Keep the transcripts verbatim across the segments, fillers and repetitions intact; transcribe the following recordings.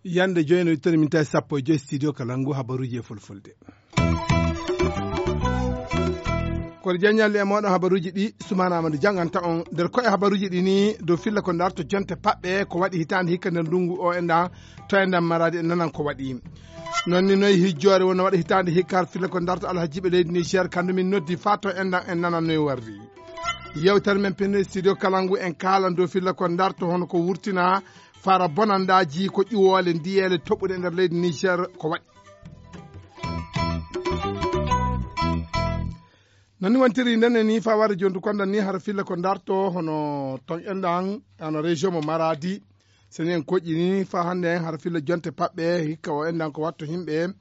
Yande joyi no ittani min tawi sappo e joyi studio kala ngu habaruji e fulfulde. Kono jaññalli e mooɗon habaruji ɗi, Sumaana Amadou jannganta on. Nder koye habaruji ɗi ni, dow filla ko darto jonte paɓɓe ko waɗi hitaande hikka nder ndungu o enɗan, to enɗan maraadi en nanan ko waɗi. Noon ni noye hijjoore wonno waɗa hitaande hikka filla ko darto alhajiiɓe leydi Niger, kandu min noddi faa to enɗan en nanan noye warri. Yewtere men pinde studio kala ngu en kaalan dow filla ko darto hono ko wurtina fara bonandaaji ko ƴuwoole ndiyeele toɓɓuɗe nder leydi Niger ko waɗi. Noon ni wontiri ndenne ni faa warde jontu kondan ni hara filla ko darto hono ton enɗan, hono région mo Maradi. So ni en koƴƴi ni faa hannde en hara filla jonte paɓɓe hikka o enɗan ko watto yimɓe.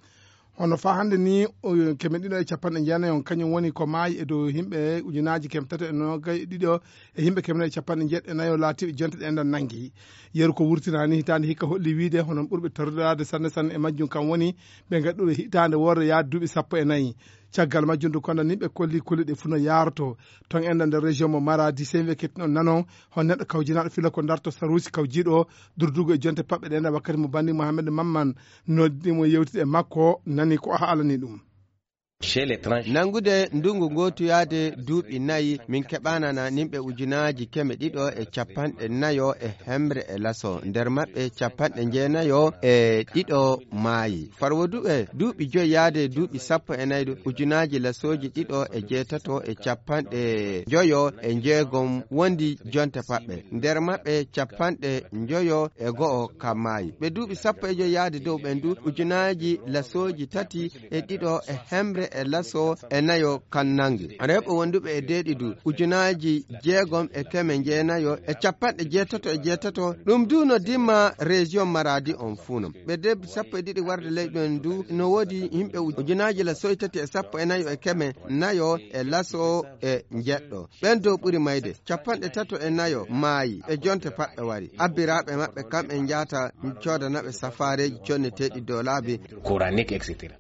Hono faa hannde ni, o, keme ɗiɗo e capanɗe jeenayi on kañum woni ko maayi e dow yimɓe ujunaaji keme tato e noogay e ɗiɗo e yimɓe keme nayi e capanɗe jeeɗiɗo e nayo laatiiɓe jonte ɗe enɗan nanngi. Yeru ko wurtinaani hitaande hikka holli wiide hono ɓurɓe torraade sanne sanne e majjum kam woni ɓe ngaɗuɓe hitaande worre yaade duuɓi sappo e nayi. Caggal majjum du kondan ni ɓe kolli kulle ɗe fuu no yaaroto. Ton enɗan nder région mo Maradi, sey wekketti on nanon hon neɗɗo kawjinaaɗo filla ko darto saruusi kawjiiɗo durdugo e jonte paɓɓe ɗe enɗan wakkati mo banndi Mohamed Mamman noddi mo yewtide e makko, nani ko o haalani ɗum. Nanngude ndungu ngootu yaade duuɓi nayi, min keɓaanana nimɓe ujunaaji keme ɗiɗo e capanɗe nayo e hemre e laso, nder maɓɓe capanɗe jeenayo e ɗiɗo maayi. Farwoduɓe duuɓi joyi yaade duuɓi sappo e nayi ɗo, ujunaaji lasooji ɗiɗo e jeetato e capanɗe njoyo e njeegom wondi jonte paɓɓe. Nder maɓɓe capanɗe njoyo e go'o kam maayi. Ɓe duuɓi sappo e joyi yaade dow ɓen du, ujunaaji lasooji tati e ɗiɗo e hemre e laso e nayo kan nangi. Rewɓe wonduɓe e deeɗi du, ujunaaji jeegom e keme jeenayo e capanɗe jeetato e jeetato. Ɗum du no dimma région Maradi on fuu non. Ɓe debbi sappo e ɗiɗi warde ley ɗon du, no woodi yimɓe uj-, ujunaaji lasooji tati e sappo e nayo e keme nayo e laso e njeɗɗo. Ɓen dow ɓuri mayde, capanɗe tato e nayo maayi, e jonte paɓɓe wari. Abbiraaɓe maɓɓe kamɓe njahata coodana ɓe safaareeji conneteeɗi dow laabi. Coranique, et cetera.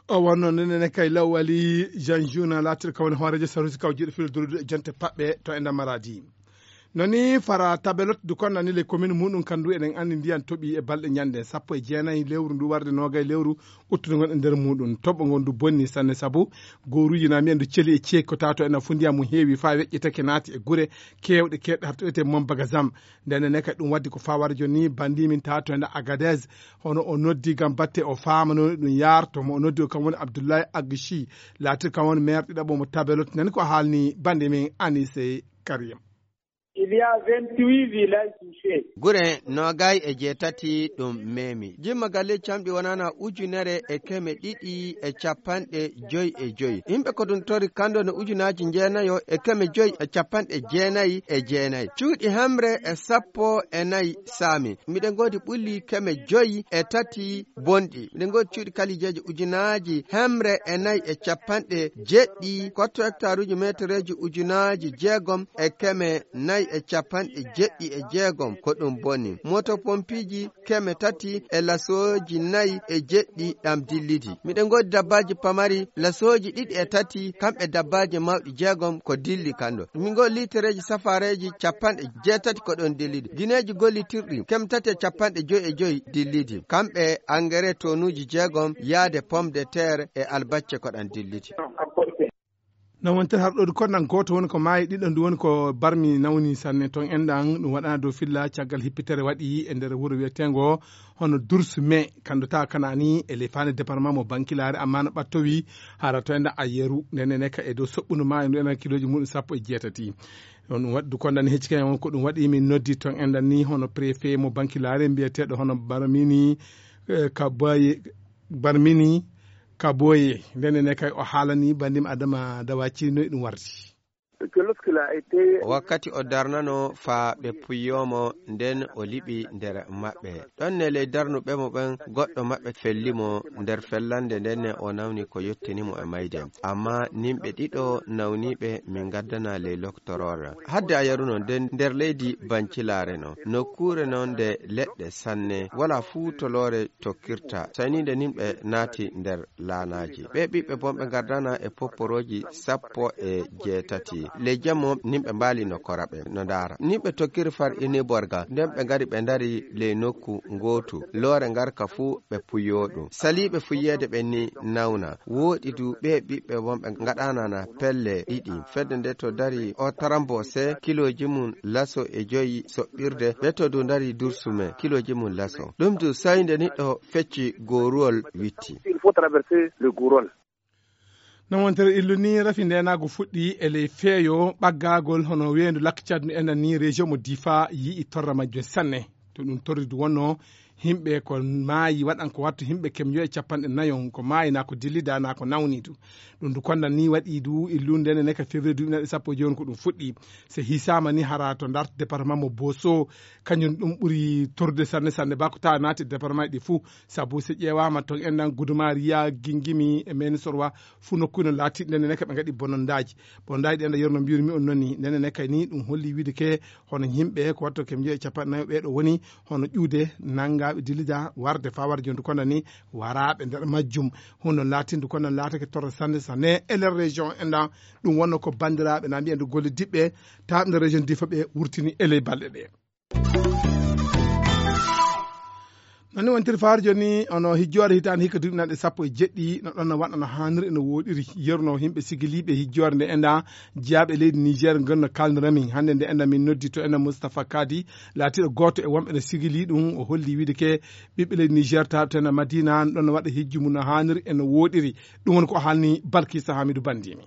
O wonno nene ne kay Lawali Jean Juna laatirka woni hooreejo sarusi kawjiiɗo filo dulude e jonte paɓɓe to e nder Maradi. Noni fara tabelot du konnani le commune muɗum kandu eɗen anndi ndiyan toɓi e balɗe ñande sappo e jeenayi lewru ndu warde noogay lewru uttude ngon e nder muɗum. Toɓɓo ngon du bonni sanne sabu gooruuji na mbiyen du celi e ceeki ko tato ena fuu ndiyan mum heewi faa weƴƴitake naati e gure keewɗe keewɗe har to wiyetee Mom Bagazam. Nden ne kadi ɗum waddi ko faa wara jooni banndi min tato ena Agadez hono o noddi ngam batte o faamanoo ɗum yaarto mo o noddi o kam woni Abdoulaye Agchi laatir kam woni maire ɗiɗaɓo mo Tabelot. Nani ko haalni banndi min Anise Karim. Il y a vingt-huit villages touchés. Gure noogay e jeetati ɗum meemi. Jimma galleeji camɗi wonana ujunere e keme ɗiɗi e capanɗe joy e joy. Yimɓe ko ɗum tori kando no ujunaaji jeenayo e keme joy e capanɗe jeenayi e jeenayi. Cuuɗi hemre e sappo e nayi saami. Miɗen ngoodi ɓulli keme joy e tati bonɗi. Miɗen ngoodi cuuɗi kalijeeji ujunaaji hemre e nayi e capanɗe jeɗɗi. Kotto hektaruuji metereeji ujunaaji jeegom e keme nayi e capanɗe jeɗɗi e jeegom ko ɗum boni. Moto pompiiji keme tati e lasooji nayi e jeɗɗi ɗam dillidi. Miɗen ngoodi dabbaaji pamari lasooji ɗiɗi e tati, kamɓe dabbaaji mawɗi jeegom ko dilli kando. Min ngoodi liitereeji safaareeji capanɗe jeetati ko ɗon dillidi. Gineeji gollitirɗi keme tati e capanɗe joy e joy dillidi. Kamɓe engrais tonuuji jeegom yaade pomme de terre e albacce ko ɗan dillidi. No wontere har ɗo du konɗan gooto woni ko maayi, ɗiɗo ndu woni ko barmi nawni sanne ton enɗan. Ɗum waɗana dow filla caggal hippitere waɗi e nder wuro wiyeteengo hono Dursu me kando ta kanani e ley faande département mo Bankilaare, amma no ɓattowi hara to enɗan Ayeru. Nden ne ka e dow soɓɓundu maayo ndu enɗan kilooji muɗum sappo e jeetati. On ɗum waɗi du konɗan hecci kañum on ko ɗum waɗi min noddi ton enɗan ni hono préfet mo Bankilaare mbiyeteeɗo hono Barmini, eh, Kabaye, Barmini Kaboye. Nden ne kay o haalani bandim Adama Dawaci no e ɗum wardi. Wakkati o darnanoo faa ɓe puuyoo mo, ndeen o liɓi nder maɓɓe. Ɗon ne ley darnuɓe mo ɓen, goɗɗo maɓɓe felli mo nder fellande, ndeen ne o nawni ko yottini mo e mayde. Ammaa nimɓe ɗiɗo nawniiɓe min ngaddana ley loktoroore. Hadde a yaruno nden nder leydi Bancilaare non, nokkuure non nde leɗɗe sanne, walaa fuu to loore tokkirta, sayniinde nimɓe naati nder laanaaji. Ɓee ɓiɓɓe bonɓe ngardana e popporooji sappo e jeetati. Ley jammo, nimɓe mbaali no kora ɓe, no ndaara. Nimɓe tokkiri far iniborga, nden ɓe ngari ɓe ndari ley nokku ngootu. Loore ngarka fuu ɓe puyoo ɗum. Saliiɓe fuyeede ɓen ni nawna. Wooɗi du ɓee ɓiɓɓe bonɓe ngaɗanana pelle ɗiɗi. Fedde nde to dari o tarambo se kilooji mum laso e joyi soɓɓirde, ɓe to du ndari dursume kilooji mum laso. Ɗum du sayinde niɗɗo fecci gooruwol witti. Il faut traverser le gourol. No wontere illu ni, rafi ndeenaagu fuɗɗi e ley feeyo ɓaggaagol hono weendu Lac Tchad no enɗan ni, région mo Difa yi'i torra majjum sanne. To ɗum torri du wonno, yimɓe ko maayi waɗan ko wattu yimɓe kemjo e capanɗe nayon, ko maayi naa ko dillida naa ko nawni du. Ɗum du kondan ni waɗi du illu ndene ne ka février duuɓi naɗi sappo e jooni ko ɗum fuɗɗi. Se hisaama ni hara to ndart département mo Boso, kañum ɗum ɓuri torde sanne sanne ba ko tawa naati département ɗi fuu. Sabu so ƴeewaama toon enɗan Gudumariya, Gingimi e Menisorwa fuu nokkuuji no laatiiɗi ndene ne ka ɓe ngaɗi bonondaaji. Bonondaaji ɗen ɗo yorno mbiyumi on noni ndene ne kay ni ɗum holli wiide ke hono yimɓe ko watto kemjo e capanɗe nayo ɓee ɗo woni hono ƴuude nanngaaɓe dillida warde faa warde jontu konda ni waraaɓe nder majjum. Hunde laatindu konda laatake torra sanne sanne e nder région enɗan ɗum wonno ko banndiraaɓe na mbiyen golle diɓɓe taaɓe nder région Difa ɓe wurtini e ley balɗe ɗe. Noon ni wontiri faar jooni, ono hijjoore hitaande hikka duuɓi nanɗe sappo e jeɗɗi, no ɗon no waɗa no haaniri e no wooɗiri. Yeruno yimɓe sigiliiɓe hijjoore nde enɗan jiyaaɓe leydi Niger ngon no kaalnirami. Hannde nde enɗan min noddi to enɗan Moustapha Kadi, laatiiɗo gooto e wonɓe no sigilii ɗum, o holli wiide ke ɓiɓɓe leydi Niger taaɓte no Madina, no ɗon no waɗa hijju mum no haaniri e no wooɗiri. Ɗum woni ko haalni Balkisa Hamidu Bandimi.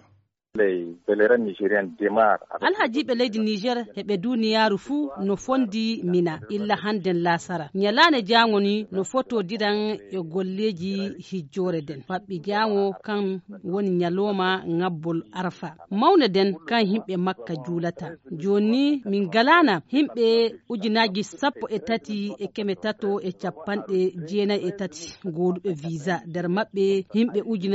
Alhajiiɓe leydi Niger e ɓe duniyaaru fuu no fondi Mina illa hannden laasara. Ñalaande jaango ni no fotodiran e golleeji hijjoore den. Faɓɓi jaango kan woni ñalooma ŋabbol Arfa. Mawne den kan himɓe Makka juulata. Jooni ni min galaana himɓe ujunaaji sappo e tati e keme tato e capanɗe jeenayi e tati gooduɓe visa. Nder maɓɓe himɓe ujunaaji